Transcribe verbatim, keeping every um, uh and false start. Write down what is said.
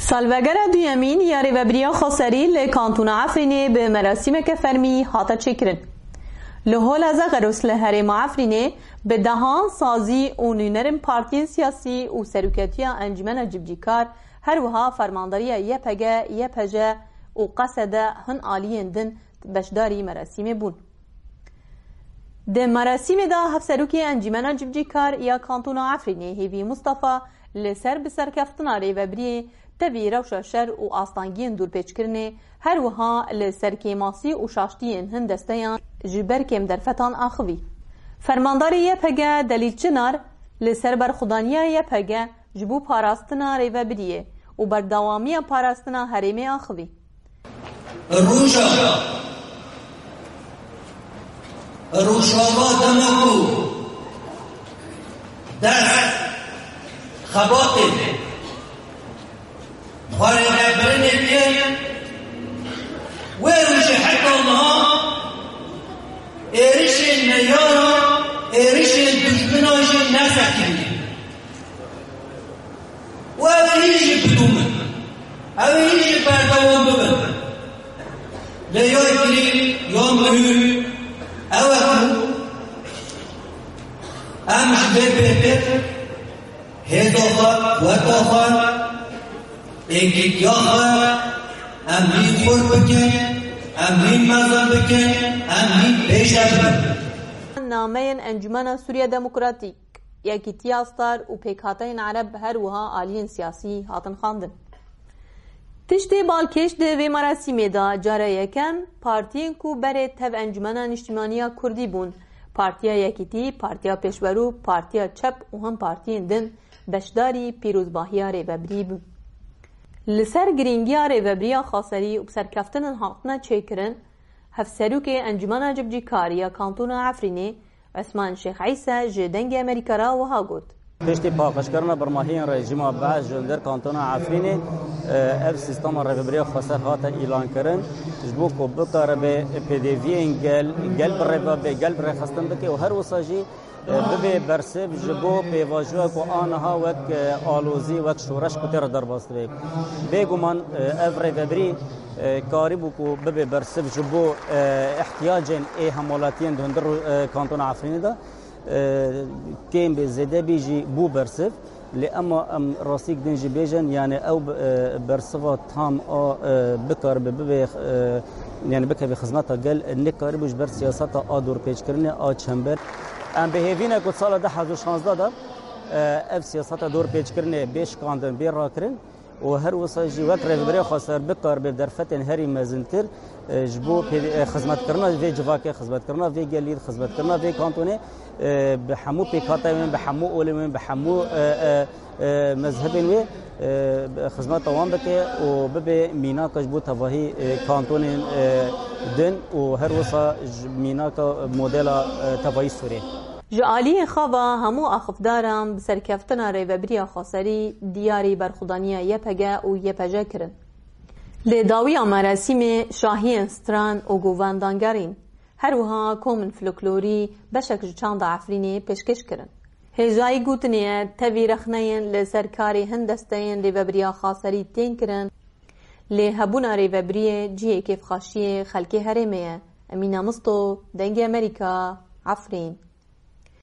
Salvegera duyemîn ya rêvebiriya xweserî li Kantona Efrînê bi merasîmeke fermî hate çêkirin. Li Hola Zagros li herêma Efrînê bi dehan sazî û nûnerên partiyên siyasî û seroketiya Encûmena Civcîkar, her wiha fermandariya Y P G, Y P J û Q S D hin aliyên din beşdarî merasîmê bûn. Di merasîmê de Hevserokê Encîmena Civcîkar ya Kantona Efrînê Hêvî Mustafa li ser bi serkeftina rêvebiriyê tevî rewşa şer û astangiyên dûrpêçkirinê, her wiha li ser kêmasî û şaştiyên hin desteyan ji ber kêm derfetan axivî. Fermandarê Y P G Delîl Çinar li ser berxwedaniya Y P G ji bo parastina rêvebiriyê û berdewamiya parastina herêmê axivî. Roja, Rojava dema ku dest xebatê xwarê nebirinê tê, wê rojê heta niha êrişên neyara, êrişên dijmina jî nesekirî. Û ew ê hîn jî bidûmin. Ew ê hîn jî berdewam bibin. Lê ya girîng, ya muhîm ew e ku em ji vê pêkê hêza xwe, quweta xwe, êkîtiya xwe, em hîn xurt bikin, em hîn mezin bikin, em hîn pêşe bibin. Nameyên Encûmena Sûriya Demokratîk, Yekîtiya Star û Pêkhateyên Ereb, her wiha aliyên siyasî hatin xwendin. Tiştê balkêş di vê merasîmê de cara yekem partiyên ku berê tev Encûmena Niştimanî ya Kurdî bûn, Partiya Yekîtî, Partiya Pêşwerû, Partiya Çep û hin partiyên din beşdarî pîrozbahiya rêvebirî bûn. Li ser girîngiya rêvebiriya xweserî û bi serkeftinên hatine çêkirin, Hevserokê Encûmena Civcîkarî ya Kantona Efrînê, Osman Şêx Îsa ji Dengê Amerîka re wiha got. Piştî paqijkirina birmahiyên rejîma Be'es ji hundir Kantona Efrînê, e, ev sîstema rêvebiriya xweser hate îlankirin, ji bo ku bikaribe pêdiviyên gel, gel bi rêve be, gel bi rêxistin bike û her wisa jî, e, bibe bersiv ji bo pêvajoya ku aniha wek, e, alozî, wek şoreş ku tê re derbas dibe. Bêguman, e, ev rêvebirî, e, karîbû ku bibe bersiv ji bo, e, ihtiyacên ê hemwelatiyên di hundir, e, Kantona Efrînê de. E, kêm bê, zêde bî jî bû bersiv. Lê ema em rastîk din jî bêjin, yani ew, e, bersiva tam a, e, bikaribe bibe, e, yani bikeve xizmeta gel, nikarîbû ji ber siyaseta a dorpêçkirinê a çember. Em bi hêvî ne ku sala du hezar û şazdeh de, e, ev siyaseta dorpêçkirinê bê şikandin, bê rakirin. Û her wisa jî wek rêveberiya xweser bikaribe derfetên herî mezintir, e, ji bo pê-, e, xizmetkirina vê civakê, xizmetkirina vê gelî, xizmetkirina vê kantonê, e, bi hemû pêkhateyên wê, bi hemû olên wê, bi hemû, e, e, e, mezhebên wê, e, xizmeta wan bike û bibe mînaka ji bo tevahî, e, kantonên, e, din û her wisa ji mînaka modela, e, tevahî Sûriyê. Ji aliyê xwe ve hemû axifdaran bi serkeftina rêvebiriya xweserî diyarî berxwedaniya Y P G û Y P J kirin. Li dawiya merasîmê şahiyên stran û govan dangerîn, her wiha komên folklorî beşek ji çanda Efrînê pêşkêş kirin. Hêjayî gotinê ye, tevî rexneyên li ser karê hin desteyên rêvebiriya xweserî tên kirin, lê hebûna rêvebiriyê cihê kêfxweşiyê xelkê herêmê ye. Emîne Misto, Dengê Amerîka, Efrîn.